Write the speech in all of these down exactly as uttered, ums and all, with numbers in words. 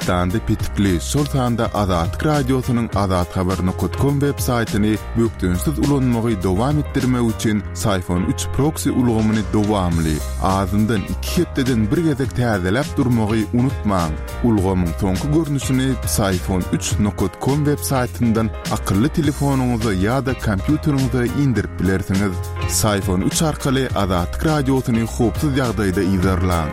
Türkmenistanda petikli, şol sanda Azatlyk Radiosynyň azathabar nokat kom web saýtyny bökdençsiz ulanmagy dowam etdirmek üçin Syfon üç proksi ulgamyny dowamly, azyndan iki hepdeden bir gezek täzeläp durmagy unutmaň. Ulgamyň soňky görnüşini Syfon üç nokat kom web saýtyndan akylly telefonyňyza ýa-da kompýuteriňize indirip bilersiňiz. Syfon üç arkaly Azatlyk Radiosyny howpsuz ýagdaýda yzarlaň.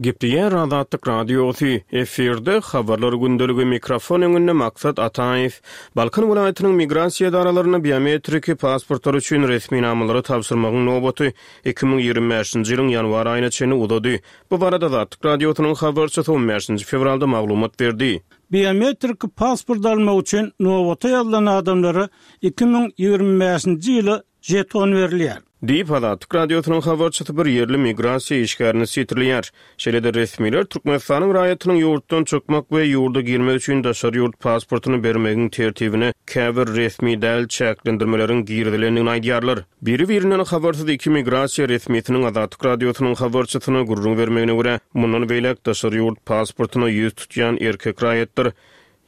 Gepleýär Azatlyk Radiosy, efirde Habarlar gündeligi, mikrofon öňünde Maksat Ataýew. Balkan welaýatynyň migrasiýa edaralarynda biometriki pasportlar üçin resminamalary tabşyrmagyň nobaty iki müň ýigrimi bäşinji ýylyň ýanwar aýyna çenli uzady. Bu barada Azatlyk Radiosynyň habarçysy on bäşinji fewralda maglumat berdi. Biometriki pasport almak üçin nobata ýazylan adamlara iki müň ýigrimi bäşinji ýyla jeton berilýär. Diýip, Azatlyk Radiosynyň habarçysy bir ýerli migrasiýa işgärini sitirleýär. Şeýle-de resmiler Türkmenistanyň raýatynyň ýurtdan çykmak we ýurda girmek üçin daşary ýurt pasportyny bermegiň tertibine käbir resmi däl çäklendirmeleriň girizilendigini aýdýarlar. Biri-birinden habarsyz iki migrasiýa resmisiniň Azatlyk Radiosynyň habarçysyna gürrüň bermegine görä, mundan beýläk daşary ýurt pasportyna ýüz tutýan erkek raýatlar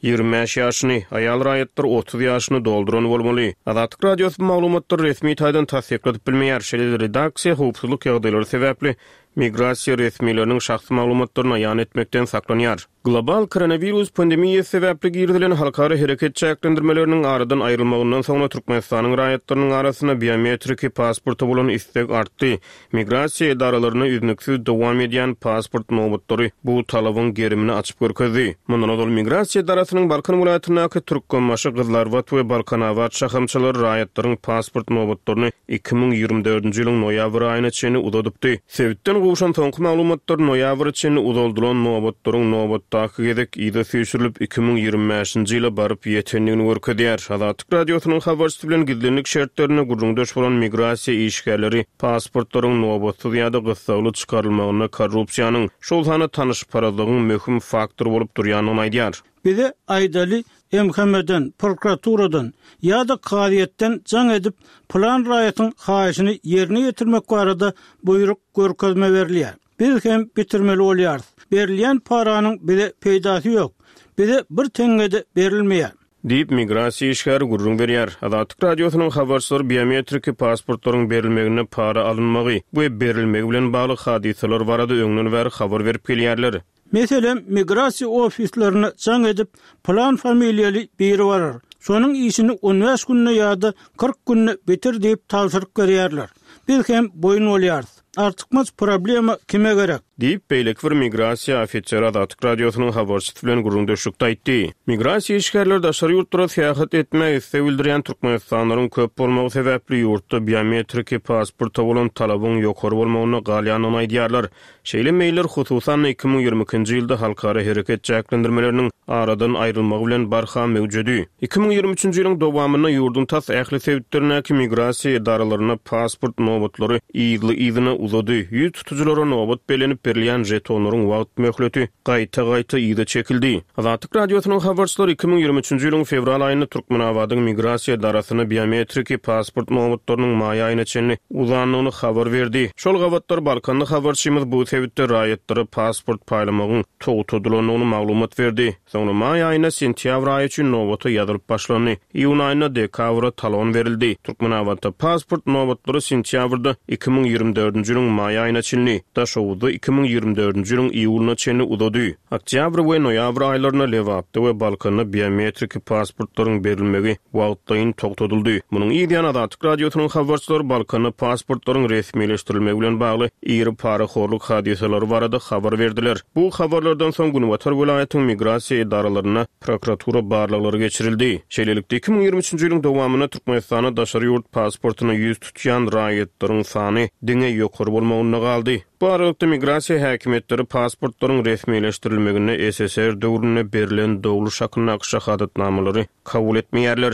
ýigrimi bäş ýaşyny, aýal raýatlar otuz ýaşyny dolduran bolmaly. Azatlyk Radiosy bu maglumatlary resmi taýdan tassykladyp bilmeýär. Şeýle-de redaksiýa howpsuzlyk ýagdaýlary sebäpli migrasiýa resmileriniň şahsy maglumatlaryny aýan etmekden saklanýar. Global koronawirus pandemiýasy sebäpli girizilen halkara hereket çäklendirmeleriniň aradan aýrylmagyndan soňra Türkmenistanyň raýatlarynyň arasynda biometriki pasporta bolan isleg artdy. Migrasiýa edaralarynda üznüksiz dowam edýän pasport nobatlary bu talabyň gerimini açyp görkezdi. Mundan ozal migrasiýa edarasynyň Balkan welaýatyndaky Türkmenbaşy, Gyzlarbat we Balkanabat şahamçalary raýatlaryň pasport nobatlaryny iki müň ýigrimi dördünji ýylyň noýabr aýyna çenli uzadypdy. Sebitden gowşan soňky maglumatlar noýabra çenli uzaldylan nobatlaryň nobatdaky gezek yza süýşürilip iki müň ýigrimi bäşinji ýyla baryp ýetendigini görkezýär. Azatlyk Radiosynyň habarçysy bilen gizlinlik şertlerinde gürrüňdeş bolan migrasiýa işgärleri pasportlaryň nobatsyz ýa-da gyssagly çykarylmagynda korrupsiýanyň, şol sanda tanyşparazlygyň möhüm faktory bolup durýandygyny aýdýar. Bize aýdaly M H M-den, prokuraturadan ýa-da kazyýetden jaň edip plan raýatyň haýyşyny ýerine ýetirmek barada buýruk görkezme berilýär. Biz hem bitirmeli bolýarys. Berilýän paranyň bize peýdasy ýok. Bize bir teňňe-de berilmeýär. Diýip, migrasiýa işgäri gürrüň berýär. Azatlyk Radiosynyň habarçylary biometriki pasportlaryň berilmeginde para alynmagy we berilmegi bilen bagly hadysalar barada öňden bäri habar berip gelýärler. Meselem, migrasiýa ofislerine jaň edip, plan familiýaly biri barar. Şonuň işini on bäş günde ýa-da kyrk günde bitir diýip tabşyryk berýärler. Biz hem boýun bolýarys. Artykmaç problema kime gerek? Diýip, beýleki bir migrasiýa ofiseri Azatlyk Radiosynyň habarçysy bilen gürrüňdeşlikde aýtdy. Migrasiýa işgärleri daşary ýurtlara syýahat etmäge isleg bildirýän türkmenistanlylaryň köp bolmagy sebäpli ýurtda biometriki pasporta bolan talabyň ýokary bolmagynda galýandygyny aýdýarlar. Şeýle meýiller hususan iki müň ýigrimi ikinji ýylda halkara hereket çäklendirmeleriniň aradan aýrylmagy bilen barha mewjudi. Iki müň ýigrimi üçünji ýylyň dowamynda ýurduň tas ähli sebitlerindäki migrasiýa edaralarynda pasport nobatlary yzly-yzyna uzady. Ýüz tutujulara nobat bellenip berilýän jetonlaryň wagt möhleti gaýta-gaýta yza çekildi. Azatlyk Radiosynyň habarçylary iki müň ýigrimi üçünji ýylyň fewral aýynda Türkmenabadyň migrasiýa edarasynda biometriki pasport nobatlarynyň maý aýyna çenli uzandygyny habar berdi. Şol gabatlar Balkanly habarçymyz bu sebitde raýatlara pasport paýlamagyň togtadylandygyny maglumat berdi. Soňra maý aýynda sentýabr aýy üçin nobata ýazylyp başlandy. Iýun aýynda dekabra talon berildi. Türkmenabatda pasport nobatlary sentýabrda iki müň ýigrimi dördünji ýylyň maý aýyna çenli, Daşoguzda iki müň ýigrimi dördünji ýylyň iýulyna çenli uzady. Oktýabr we noýabr aýlarynda Lebapda we Balkanda biometriki pasportlaryň berilmegi wagtlaýyn togtadyldy. Munuň ýan Azatlyk Radiosynyň habarçylary Balkanda pasportlaryň resmileşdirilmegi bilen bagly iri parahorluk hadysalary barada habar berdiler. Bu habarlardan soň Günbatar welaýatyň migrasiýa edaralarynda prokuratura barlaglary geçirildi. Şeýlelikde iki müň ýigrimi üçünji ýylyň dowamynda Türkmenistanda daşary ýurt pasportyna ýüz tutýan raýatlaryň sany diňe ýokary bolmagynda galdy. Bu aralykda migrasiýa häkimiýetleri pasportlaryň resmileşdirilmeginde S S R döwründe berlen dogluş hakyndaky şahadatnamalary kabul etmeýärler.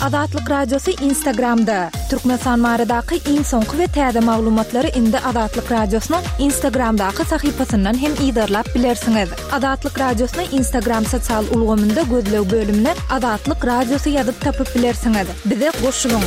Azatlyk Radiosy Instagramda. Türkmenistan baradaky iň soňky we täze maglumatlary indi Azatlyk Radiosynyň Instagramdaky sahypasyndan hem yzarlap bilersiňiz. Azatlyk Radiosyny Instagram sosial ulgamynda gözleg bölümine Azatlyk Radiosy ýazyp tapyp bilersiňiz. Bize goşulyň.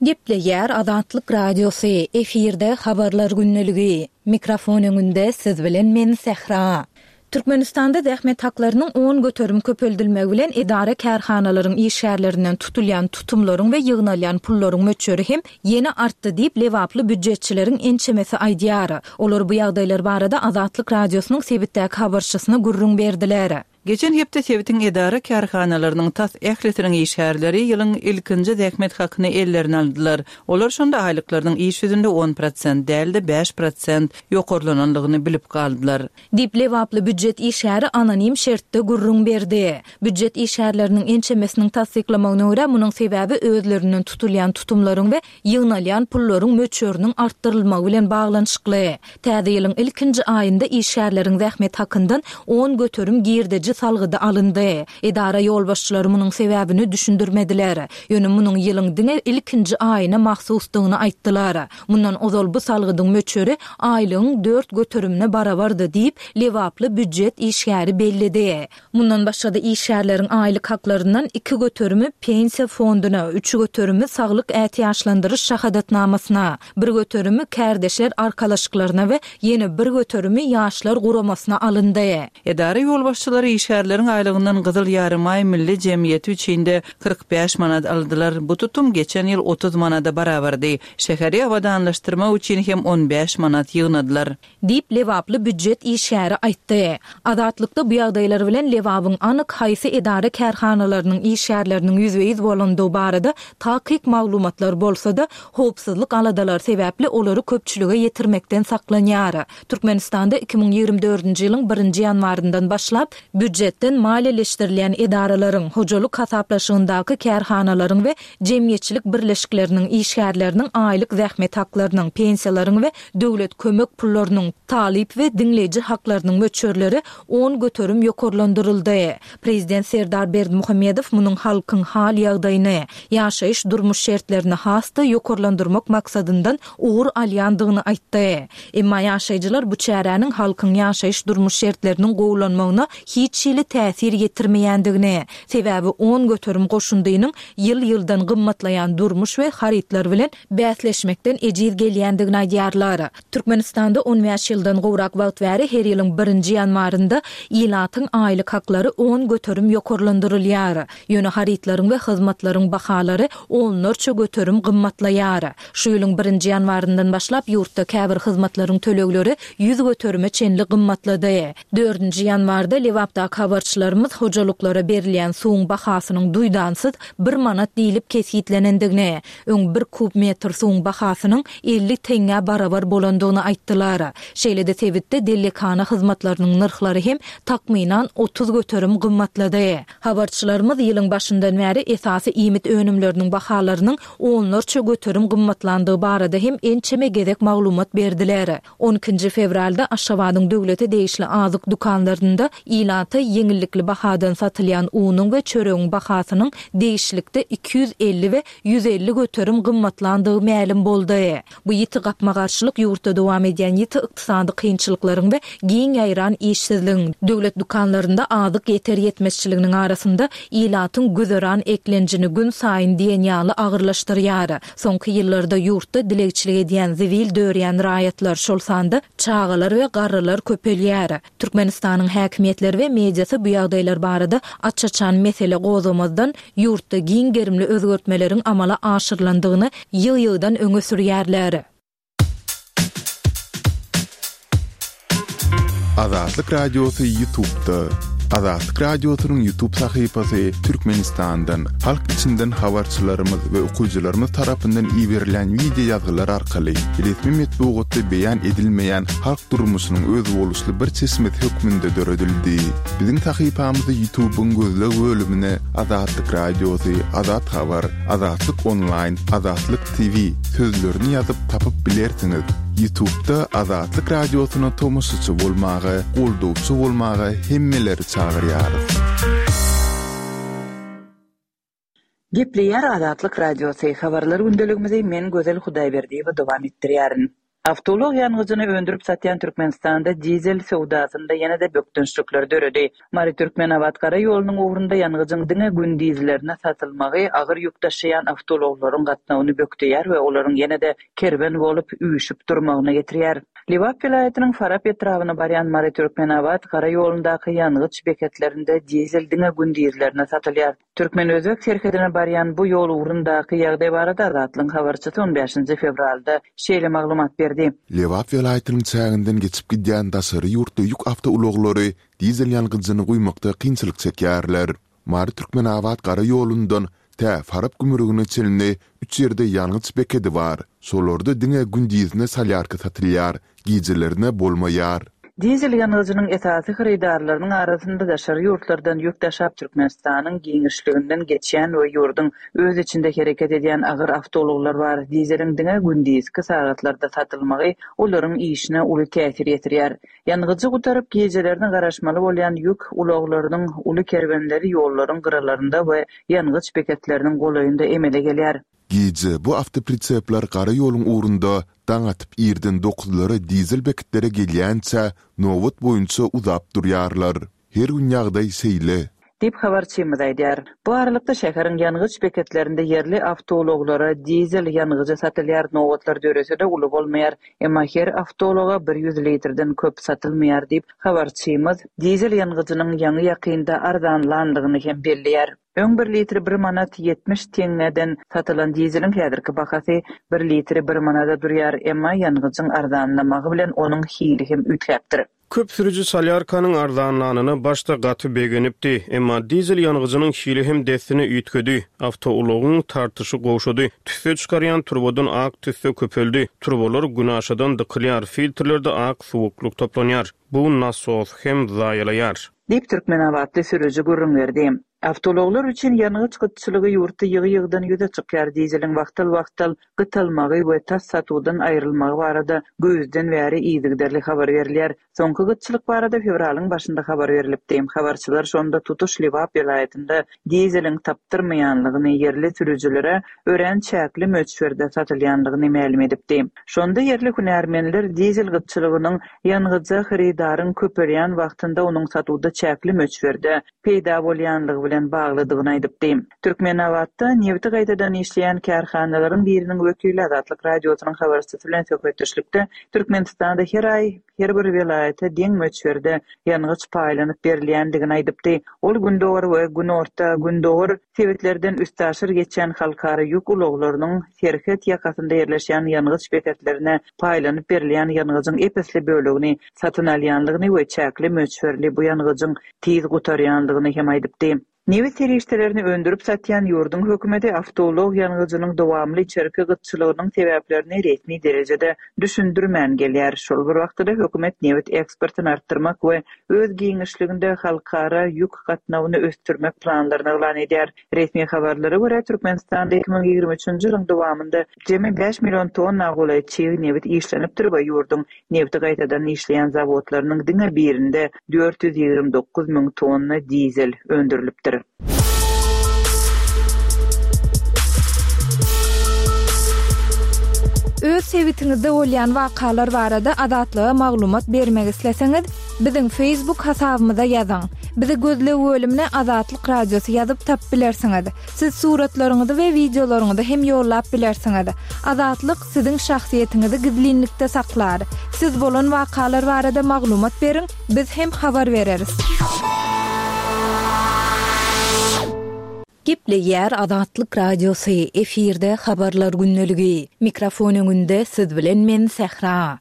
Gepleýär Azatlyk Radiosy, efirde habarlar gündeligi. Mikrofon öňünde siz bilen men Sähra. Türkmenistanda zähmet haklarynyň on göterim köpeldilmegi bilen edara kärhanalaryň işgärlerinden tutulýan tutumlaryň we ýygnalýan pullaryň möçberi hem ýene artdy diýip Lebaply býujetçileriň ençemesi aýdýar. Olar bu ýagdaýlar barada Azatlyk Radiosynyň sebitdäki habarçysyna gürrüň berdiler. Geçen hepde sebitiň edara kärhanalarynyň tas ählisiniň işgärleri ýylyň ilkinji zähmet hakyny ellerine aldylar. Olar şonda aýlyklarynyň iş ýüzünde on prosent däl-de bäş prosent ýokarlanandygyny bilip galdylar. Diýip Lebaply býujet işgäri anonim şertde gürrüň berdi. Býujet işgärleriniň ençemesiniň tassyklamagyna görä, munuň sebäbi özlerinden tutulýan tutumlaryň we ýygnalýan pullaryň möçberiniň artdyrylmagy bilen baglanyşykly. Täze ýylyň ilkinji aýynda işgärleriň zähmet hakyndan on göterim girdeji salgydy alyndy. Edara ýolbaşçylary munuň sebäbini düşündirmediler. Ýöne munuň ýylyň diňe ilkinji aýyna mahsusdygyny aýtdylar. Mundan ozal bu salgydyň möçberi aýlygyň dört göterimine barabardy diýip Lebaply býujet işgäri belledi. Mundan başga-da işgärleriň aýlyk haklaryndan iki göterimi pensiýa fonduna, üç göterimi saglyk ätiýaçlandyryş şahadatnamasyna, bir göterimi kärdeşler arkalaşyklaryna we ýene bir göterimi ýaşlar guramasyna alyndy. Edara ýolbaşçylary işgärleriň aýlygyndan Gyzyl Ýarymaý Milli Jemgyýeti üçin-de kyrk bäş manat aldylar. Bu tutum geçen ýyl otuz manada barabardy. Şäheri abadanlaşdyrmak üçin hem on bäş manat ýygnadylar. Diýip Lebaply býujet işgäri aýtdy. Azatlykda bu ýagdaýlar bilen Lebabyň anyk haýsy edara kärhanalarynyň işgärleriniň ýüzbe-ýüz bolandygy barada takyk maglumatlar bolsa-da, howpsuzlyk aladalary sebäpli olary köpçülige ýetirmekden saklanýar. Türkmenistanda iki müň ýigrimi dördünji ýylyň birinji ýanwaryndan başlap býujetden maliýeleşdirilýän edaralaryň, hojalyk hasaplaşygyndaky kärhanalaryň we jemgyýetçilik birleşikleriniň işgärleriniň aýlyk zähmet haklarynyň, pensiýalaryň we döwlet kömek pullarynyň, talyp we diňleýji haklarynyň möçberleri on göterim ýokarlandyryldy. Prezident Serdar Berdimuhamedow munuň halkyň hal ýagdaýyny, ýaşaýyş durmuş şertlerini has-da ýokarlandyrmak maksadyndan ugur alýandygyny aýtdy. Emma ýaşaýjylar bu çäräniň halkyň ýaşaýyş durmuş şertleriniň gowulanmagyna hiç hili täsir ýetirmeýändigini, sebäbi on göterim goşundynyň ýyl-ýyldan gymmatlaýan durmuş we harytlar bilen bäsleşmekden ejiz gelýändigini aýdýarlar. Türkmenistanda on bäş ýyldan gowrak wagt bäri her ýylyň birinji ýanwarynda ilatyň aýlyk haklary on göterim ýokarlandyrylýar. Ýöne harytlaryň we hyzmatlaryň bahalary onlarça göterim gymmatlaýar. Şu ýylyň birinji ýanwaryndan başlap ýurtda käbir hyzmatlaryň tölegleri ýüz göterime çenli gymmatlady. Dördünji ýanwarda Lebapdaky habarçylarymyz hojalyklara berilýän suwuň bahasynyň duýdansyz bir manat diýlip kesgitlenendigini, öň bir kub metr suwuň bahasynyň elli teňňä barabar bolandygyny aýtdylar. Şeýle-de sebitde dellekhana hyzmatlarynyň nyrhlary hem takmynan otuz göterim gymmatlady. Habarçylarymyz ýylyň başyndan bäri esasy iýmit önümleriniň bahalarynyň onlarça göterim gymmatlandygy barada hem ençeme gezek maglumat berdiler. On ikinji fewralda Aşgabadyň döwlete degişli azyk dükanlarynda ilata ýeňillikli bahadan satylýan unuň we çöregiň bahasynyň degişlikde iki ýüz elli we ýüz elli göterim gymmatlandygy mälim boldy. Bu ýiti gapma-garşylyk ýurtda dowam edýän ýiti ykdysady kynçylyklaryň we giň ýaýran işsizligiň, döwlet dükanlarynda azyk ýeter ýetmezçiliginiň arasynda ilatyň güzeran eklenjini gün saýyn diýen ýaly agyrlaşdyrýar. Soňky ýyllarda ýurtda dilegçilik edýän zibil dörýän raýatlar, şol sanda çagalar we garrylar köpelýär. Türkmenistanyň häkimiýetleri we mediasy bu ýagdaýlar barada aç-açan mesele gozgamazdan ýurtda giň gerimli özgertmeleriň amala aşyrylandygyny ýyg-ýygdan öňe sürýärler. Azatlyk Radiosy YouTube'da. Azatlyk Radiosynyň YouTube sahypasy Türkmenistandan, halk içinden habarçylarymyz we okyjylarymyz tarapyndan iberilen video ýazgylar arkaly resmi metbugatda beýan edilmeýän halk durmuşynyň özboluşly bir çeşmesi hökmünde döredildi. Biziň sahypamyzy YouTube'yň gözleg bölümine Azatlyk Radiosy, Azat Habar, Azatlyk Online, Azatlyk T V sözlerini ýazyp tapyp bilersiňiz. YouTube'da Azatlyk Radiosyna tomaşaçy bolmaga, goldawçy bolmaga hemmeleri çagyrýarys. Gepleýär Azatlyk Radiosy. Habarlar gündeligimizi men Gözel Hudaýberdiýewa dowam etdirýärin. Awtoulag ýangyjyny öndürip satýan Türkmenistanda dizel söwdasynda ýene-de bökdençlikler döredi. Mary-Türkmenabat gara ýolunyň ugrunda ýangyjyň diňe gündizlerine satylmagy agyr ýük daşaýan awtoulaglaryň gatnawyny bökdeýär we olaryň ýene-de kerwen bolup üýşüp durmagyna getirýär. Lebap welaýatynyň Farap etrabyna barýan Mary-Türkmenabat gara ýolundaky ýangyç beketlerinde dizel diňe gündizlerine satylýar. Türkmen-özbek serhedine barýan bu ýol ugrundaky ýagdaý barada Azatlygyň habarçysy on bäşinji fewralda şeýle maglumat berdi. Lebap welaýatynyň çäginden geçip gidýän daşary ýurtly ýük awtoulaglary dizel ýangyjyny guýmakda kynçylyk çekýärler. Mary-Türkmenabat gara ýolundan tä Farap gümrügine çenli üç ýerde ýangyç bekedi bar. Şolarda diňe gündizine solýarka satylýar, gijelerine bolmaýar. Dizel ýangyjynyň esasy hyrydarlarynyň arasynda daşary ýurtlardan ýük daşap Türkmenistanyň giňişliginden geçýän we ýurduň öz içinde hereket edýän agyr awtoulaglar bar. Dizeliň diňe gündizki sagatlarda satylmagy olaryň işine uly täsir ýetirýär. Ýangyjy gutaryp gijelerine garaşmaly bolýan ýük ulaglarynyň uly kerwenleri ýollaryň gyralarynda we ýangyç beketleriniň golaýynda emele gelýär. Gije bu awtoprisepler gara ýoluň ugrunda daň atyp irden dokuzlara dizel beketlere gelýänçä nobat boýunça uzap durýarlar. Her gün ýagdaý şeýle. Diýip habarçymyz aýdýar. Bu aralykda şäheriň ýangyç beketlerinde ýerli awtoulaglara dizel ýangyjy satylýar, nobatlar dörese-de uly bolmaýar. Emma her awtoulaga bir ýüz litrden köp satylmaýar diýip habarçymyz dizel ýangyjynyň ýaňy ýakynda arzanlandygyny hem belleýär. Öň bir litri bir manat ýetmiş teňňeden satylan dizeliň häzirki bahasy bir litri bir manada durýar, emma ýangyjyň arzanlamagy bilen onuň hili hem üýtgäpdir. Köp sürüji solýarkanyň arzanlanyna başda gaty begenipdi, emma dizel ýangyjynyň hili hem dessine üýtgedi. Awtoulagyň tartyşy gowşady. Tüsse çykarýan turbadan ak tüsse köpeldi. Turbalar günaşadan dykylýar, filtrlerde ak suwuklyk toplanýar. Bu nasos hem zaýalaýar. Diýip Türkmenabatly sürüji gürrüň berdi. Awtoulaglar üçin ýangyç gytçylygy ýurtda ýygy-ýygydan ýüze çykýar. Dizeliň wagtal-wagtal gytalmagy we tas satuwdan aýrylmagy barada güýzden bäri yzygiderli habar berilýär. Soňky gytçylyk barada fewralyň başynda habar berilipdi. Habarçylar şonda tutuş Lebap welaýatynda dizeliň tapdyrmaýanlygyny, ýerli sürüjilere örän çäkli möçberde satylýanlygyny mälim edipdi. Şonda ýerli hünärmenler dizel gytçylygynyň ýangyja hyrydaryň köpelýän wagtynda onuň satuwda çäkli möçberde peýda bolýanlygy bilen baglydygyny aýdypdy. Türkmenabatda nebiti gaýtadan işleýän kärhanalaryň biriniň wekili Azatlyk Radiosynyň habarçysy bilen söhbetdeşlikde Türkmenistanda her aý her bir welaýata deň möçberde ýangyç paýlanyp berilýändigini aýdypdy. Ol gündogar we günorta gündogar sebitlerden üstaşyr geçýän halkara ýük ulaglarynyň serhet ýakasynda ýerleşýän ýangyç beketlerine paýlanyp berilýän ýangyjyň ep-esli bölegini satyn alýanlygyny we çäkli möçberli bu ýangyjyň tiz gutarýanlygyny hem aýdypdy. Nebit serişdelerini öndürip satýan ýurduň hökümeti awtoulag ýangyjynyň dowamly içerki gytçylygynyň sebäplerini resmi derejede düşündirmän gelýär. Şol bir wagtda hökümet nebit eksportyny artdyrmak we öz giňişliginde halkara ýük gatnawyny ösdürmek planlaryny yglan edýär. Resmi habarlara görä Türkmenistanda iki müň ýigrimi üçünji ýylyň dowamynda jemi bäş million tonna golaý çig nebit işlenipdir we ýurduň nebiti gaýtadan işleýän zawodlarynyň diňe birinde dört ýüz ýigrimi dokuz müň tonna dizel öndürilipdir. Öz sebitiňizde bolýan wakalar barada Azatlyga maglumat bermek isleseňiz, biziň Facebook hasabymyza ýazyň. Bizi gözleg bölümine Azatlyk Radiosy ýazyp tap bilersiňiz. Siz suratlaryňyzy we wideolaryňyzy hem ýollap bilersiňiz. Azatlyk siziň şahsyýetiňizi gizlinlikde saklar. Siz bolan wakalar barada maglumat beriň, biz hem habar bereris. Gepleýär Azatlyk Radiosy, efirde habarlar gündeligi. Mikrofon öňünde siz bilen men Sähra.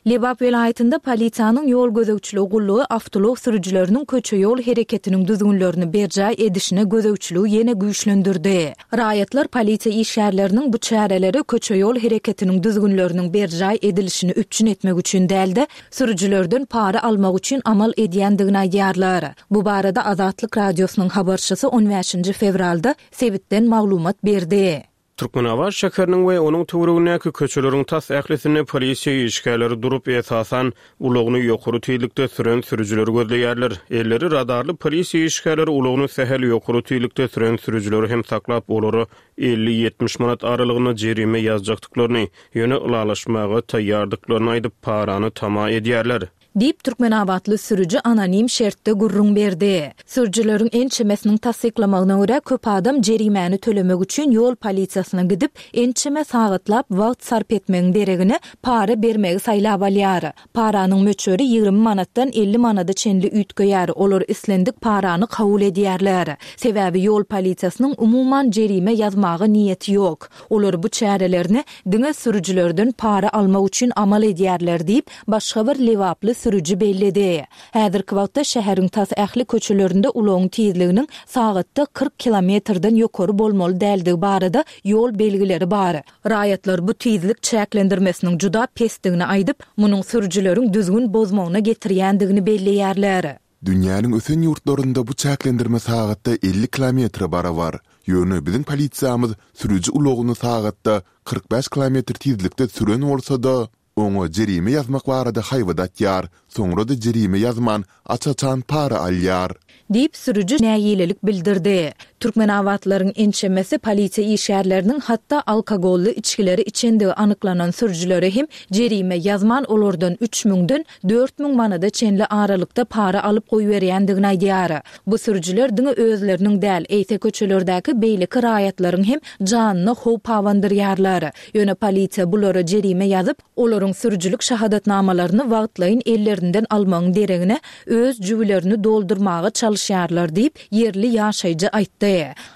Lebap welaýatynda polisiýanyň ýol gözegçiligi gullugy awtoulag sürüjileriniň köçe ýol hereketiniň düzgünlerini berjaý edişine gözegçiligi ýene güýçlendirdi. Raýatlar polisiýa işgärleriniň bu çäreleri köçe ýol hereketiniň düzgünleriniň berjaý edilişini üpjün etmek üçin dälde, sürüjilerden para almak üçin amal edýändigini aýdýarlar. Bu barada Azatlyk Radiosynyň habarçysy on bäşinji fewralda sebitden maglumat berdi. Türkmenabat şäheriniň we onuň töweregindäki köçeleriň tas ählisinde polisiýa işgärleri durup, esasan, ulagyny ýokary tizlikde süren sürüjileri gözleýärler. Elleri radarly polisiýa işgärleri ulagyny sähel ýokary tizlikde süren sürüjileri hem saklap, olara elli-ýetmiş manat aralygynda jerime ýazjakdyklaryny, ýöne ylalaşmaga taýýardyklaryny aýdyp, parany tama edýärler. Diýip, türkmenabatly sürüji anonim şertde gürrüň berdi. Sürüjileriň ençemesiniň tassyklamagyna görä, köp adam jerimäni tölemek üçin ýol polisiýasyna gidip, ençeme sagatlap wagt sarp etmegiň deregine, para bermegi saýlap alýar. Paranyň möçberi ýigrimi manatdan elli manada çenli üýtgeýär, olar islendik parany kabul edýärler. Sebäbi ýol polisiýasynyň umuman jerime ýazmaga niýeti ýok. Olar bu çärelerini diňe sürüjilerden para almak üçin amal edýärler diýip, başga bir lebaply sürüji belledi. Häzirki wagtda şäheriň tas ähli köçelerinde ulagyň tizliginiň sagatda kyrk kilometrden ýokary bolmaly däldigi barada ýol belgileri bar. Raýatlar bu tizlik çäklendirmesiniň juda pesdigini aýdyp, munuň sürüjileriň düzgün bozmagyna getirýändigini belleýärler. Dünýäniň ösen ýurtlarynda bu çäklendirme sagatda elli kilometre barabar. Ýöne biziň polisiýamyz sürüji ulagyny sagatda kyrk bäş kilometr tizlikde süren bolsa-da, oňa jerime ýazmak barada haýbat atýar, soňra-da jerime ýazman, aç-açan para alýar. Diýip, sürüji nägilelik bildirdi. Türkmenabatlylaryň ençemesi polisiýa işgärleriniň hatda alkogolly içgileri içendigi anyklanan sürüjilere hem jerime ýazman, olardan üç müňden dört müň manada çenli aralykda para alyp goýberýändigini aýdýar. Bu sürüjiler diňe özleriniň däl, eýse köçelerdäki beýleki raýatlaryň hem janyna howp abandyrýarlar. Ýöne polisiýa bulara jerime ýazyp, olaryň sürüjilik şahadatnamalaryny wagtlaýyn ellerinden almagyň deregine öz jübülerini doldurmaga çalyşýarlar diýip, ýerli ýaşaýjy aýtdy.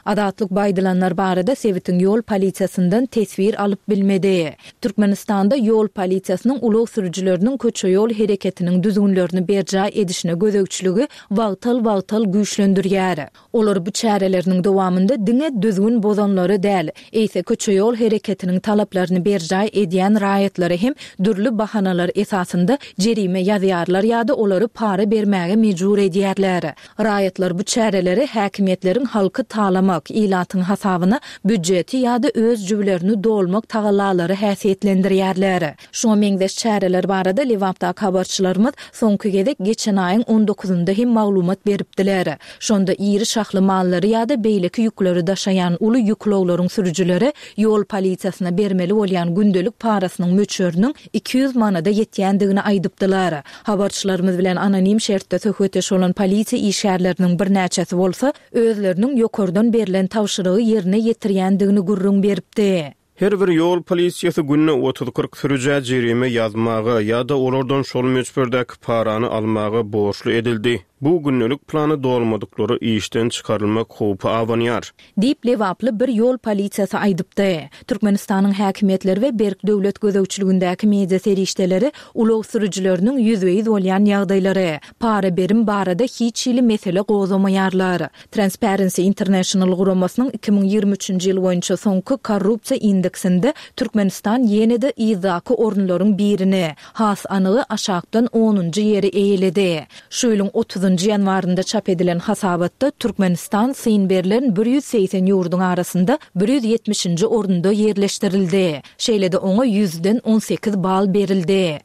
Azatlyk bu aýdylanlar barada sebitiň ýol polisiýasyndan teswir alyp bilmedi. Türkmenistanda ýol polisiýasynyň ulag sürüjileriniň köçe-ýol hereketiniň düzgünlerini berjaý edişine gözegçiligi wagtal-wagtal güýçlendirýär. Olar bu çäreleriniň dowamynda diňe düzgün bozanlary däl, eýse köçe-ýol hereketiniň talaplaryny berjaý edýän raýatlara hem dürli bahanalar esasynda jerime ýazýarlar ýa-da olary para bermäge mejbur edýärler. Raýatlar bu çäreleri häkimiýetleriň halky talamak, ilatyň hasabyna býujeti ýa-da öz jübülerini dolmak tagallalary häsiýetlendirýärler. Şuňa meňzeş çäreler barada Lebapdaky habarçylarymyz soňky gezek geçen aýyň on dokuzynda hem maglumat beripdiler. Şonda iri şahly mallary ýa-da beýleki ýükleri daşaýan uly ýük ulaglaryň sürüjileri ýol polisiýasyna bermeli bolýan gündelik parasynyň möçberiniň iki ýüz manada ýetýändigini aýdypdylar. Habarçylarymyz bilen anonim şertde söhbetdeş bolan polisiýa işgärleriniň birnäçesi bolsa özleriniň ýokardan berlen tabşyrygy ýerine ýetirýändigini gürrüň beripdi. Her bir ýol polisiýasy günde otuz-kyrk sürüjä jerime ýazmaga ýa-da olardan şol möçberdäki parany almaga borçly edildi. Bu gündelik plany dolmadyklary işden çykarylmak howpy abanýar. Diýip, Lebaply bir ýol polisiýasy aýdypdy. Türkmenistanyň häkimiýetleri we berk döwlet gözegçiligindäki media serişdeleri ulag sürüjileriniň ýüzbe-ýüz bolýan ýagdaýlary, para berim barada hiç hili mesele gozgamaýarlar. Transparency International guramasynyň iki müň ýigrimi üçünji ýyl boýunça soňky korrupsiýa indeksinde Türkmenistan ýene-de yzdaky orunlaryň birini, has anygy aşakdan onunjy ýeri eýeledi. Şu ýylyň otuzynjy ýanwarynda çap edilen hasabatda Türkmenistan syn berlen bir ýüz segsen ýurduň arasynda bir ýüz ýetmişinji orunda ýerleşdirildi. Şeýle-de oňa ýüzden on sekiz bal berildi.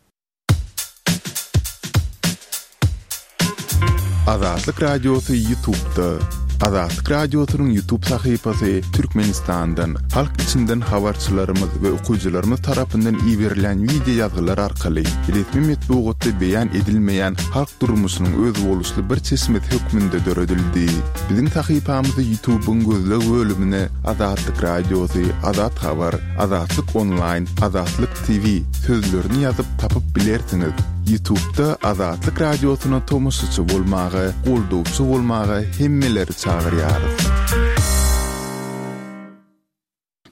Azatlyk Radiosy YouTube'da. Azatlyk Radiosynyň YouTube sahypasy Türkmenistandan, halk içinden habarçylarymyz we okyjylarymyz tarapyndan iberilen wideo ýazgylar arkaly resmi metbugatda beýan edilmeýän halk durmuşynyň özboluşly bir çeşmesi hökmünde döredildi. Biziň sahypamyzy YouTube'yň gözleg bölümine Azatlyk Radiosy, Azat Habar, Azatlyk Online, Azatlyk T V sözlerini ýazyp tapyp bilersiňiz. YouTube'da Azatlyk Radiosyna tomaşaçy bolmaga, goldawçy bolmaga hemmeleri çagyrýarys.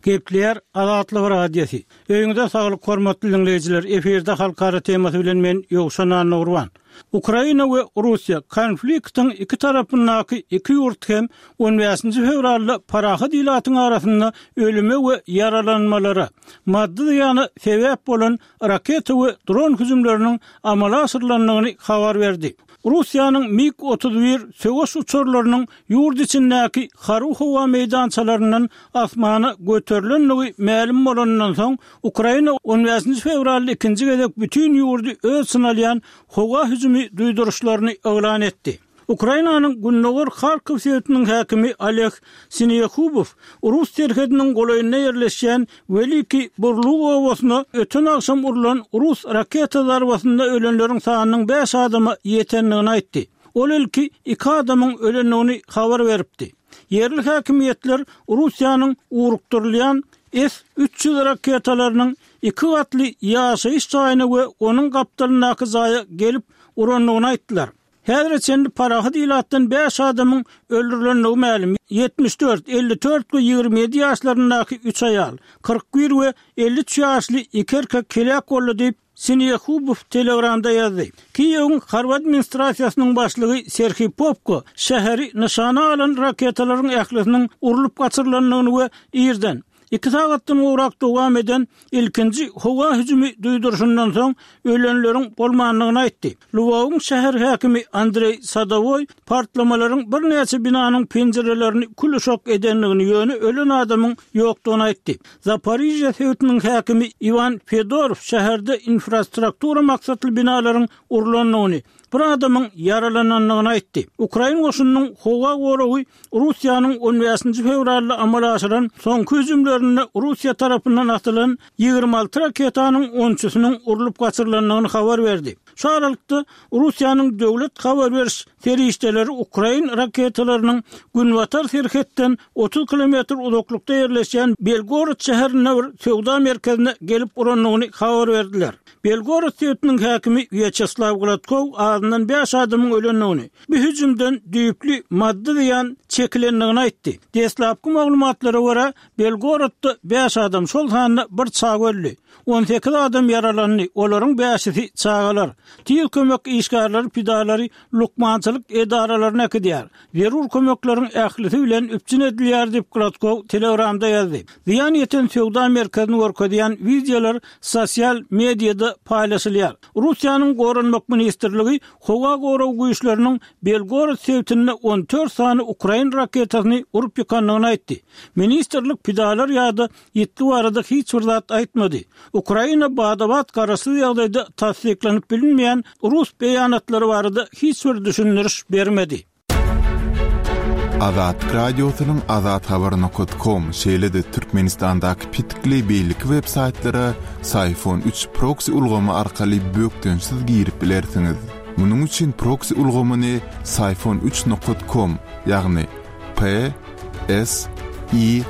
Gepleýär Azatlyk Radiosy. Öýüňize saglyk hormatly dinleýjiler. Efirde halkara temasy bilen men Ýowşan Annagurban. Ukraina we Russiýa konfliktiň iki tarapyndaky iki ýurt hem on bäşinji fewralda parahat ilatyň arasynda ölüme we ýaralanmalara, maddy zyýana sebäp bolan raketa we dron hüjümleriniň amala aşyrylandygyny habar berdi. Russiýanyň MiG otuz bir söweş uçarlarynyň ýurt içindäki harby howa meýdançalaryndan asmana göterilendigi mälim bolanyndan soň, Ukraina on bäşinji fewralda ikinji gezek bütin ýurdy öz içine alýan howa hüjümi duýduryşlaryny yglan etdi. Ukrainanyň gündogar Harkow sebitiniň häkimi Oleg Sinehubow rus serhediniň golaýynda ýerleşýän Welikiý Burluk obasyna öten agşam urlan rus raketa zarbasynda ölenleriň sanynyň bäş adama ýetendigini aýtdy. Ol ilki iki adamyň ölendigini habar beripdi. Ýerli häkimiýetler Russiýanyň ugrukdyrylýan S üç ýüz raketalarynyň iki gatly ýaşaýyş jaýyna we onuň gapdalyndaky jaýa gelip urandygyny aýtdylar. Häzire çenli parahat ilatdan bäş adamyň öldürilendigi mälim. Ýetmiş dört, elli dört we ýigrimi ýedi ýaşlaryndaky üç aýal, kyrk bir we elli üç ýaşly iki erkek heläk boldy diýip, Sinehubow Telegramda ýazdy. Kiýewiň harby administrasiýasynyň başlygy Serhiý Popko şäheri nyşana alan raketalaryň ählisiniň urlup gaçyrylandygyny we irden iki sagatdan gowrak dowam eden ilkinji howa hüjümi duýduryşyndan soň ölenleriň bolmandygyny aýtdy. Lwowyň şäher häkimi Andreý Sadowoý partlamalaryň birnäçe binanyň penjirelerini kül-uşak edendigini, ýöne ölen adamyň ýokdugyny aýtdy. Zaporižýa sebitiniň häkimi Iwan Fedorow şäherde infrastruktura maksatly binalaryň urlandygyny, bir adamyň ýaralanandygyny aýtdy. Ukrain goşunynyň howa goragy Russiýanyň on bäşinji fewralda amala aşyran soňky hüjümlerinde Russiýa tarapyndan atylan ýigrimi alty raketanyň onçusynyň urlup gaçyrylandygyny habar berdi. Şu aralykda, Russiýanyň döwlet habar beriş serişdeleri ukrain raketalarynyň günbatar serhetden otuz kilometr uzaklykda ýerleşýän Belgorod şäherinde bir söwda merkezine gelip urandygyny habar berdiler. Belgorod sebitiniň häkimi Wýaçeslaw Gladkow azyndan bäş adamyň ölendigini, bu hüjümden düýpli maddy zyýan çekilendigini aýtdy. Deslapky maglumatlara görä, Belgorodda bäş adam, şol sanda bir çaga öldi. On sekiz adam ýaralandy, olaryň bäşisi çagalar. Tiz kömek işgärleri pidalary lukmançylyk edaralaryna äkidýär. Zerur kömekleriň ählisi bilen üpjün edilýär diýip, Gladkow Telegramda ýazdy. Zyýan ýeten söwda merkezini görkezýän wideolar sosial mediada paýlaşylýar. Russiýanyň Goranmak ministrligi howa gorag güýçleriniň Belgorod sebitinde on dört sany ukrain raketasyny urup ýykandygyny aýtdy. Ministrlik pidalar ýa-da ýitgi barada hiç bir zat aýtmady. Ukraina bada-bat garaşsyz ýagdaýda tassyklanyp bilinmeýän rus beýanatlary barada hiç bir düşündiriş bermedi. Azatlyk Radiosynyň azathabar nokat kom, şeýle-de Türkmenistandaky petikli beýleki web saýtlara Syfon üç proksi ulgamy arkaly bökdençsiz girip bilersiňiz. Munuň üçin proksi ulgamyny Syfon üç nokat kom, ýagny P S I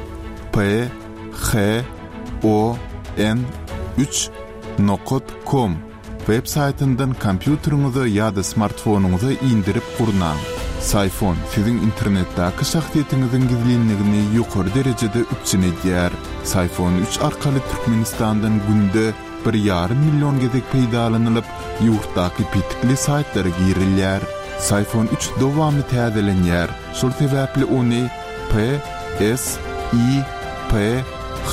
P H O N üç nokat kom web saýtyndan kompýuteriňize ýa-da smartfonyňyza indirip gurnaň. Syfon siziň internetdäki şahsyýetiňiziň gizlinligini ýokary derejede üpjün edýär. Syfon üç arkaly Türkmenistandan günde bir ýarym million gezek peýdalanylyp, ýurtdaky petikli saýtlara girilýär. Syfon üç dowamly täzelenýär. Şol sebäpli ony P S I P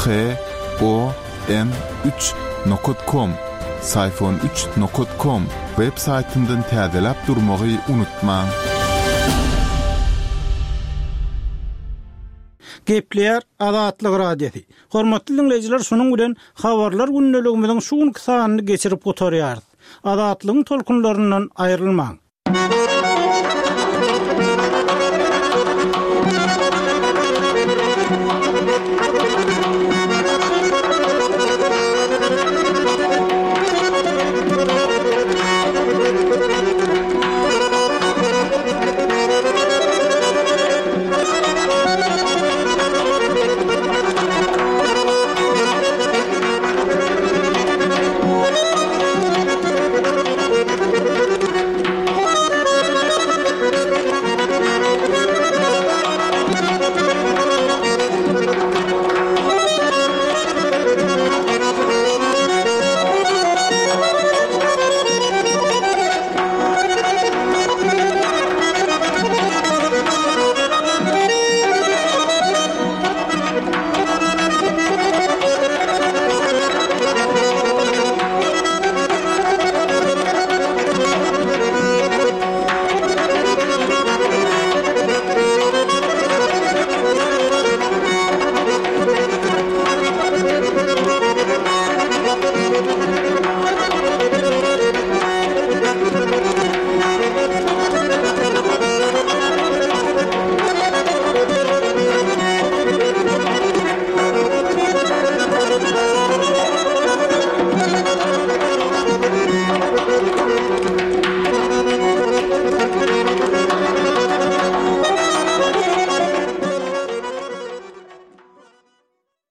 H O N üç nokat kom, Syfon üç nokat kom web saýtyndan täzeläp durmagy unutmaň. Gepleýär Azatlyk Radiosy. Hormatly dinleýjiler, şunuň bilen habarlar gündeligimiziň şu günki sanyny geçirip gutarýarys. Azatlygyň tolkunlaryndan aýrylmaň.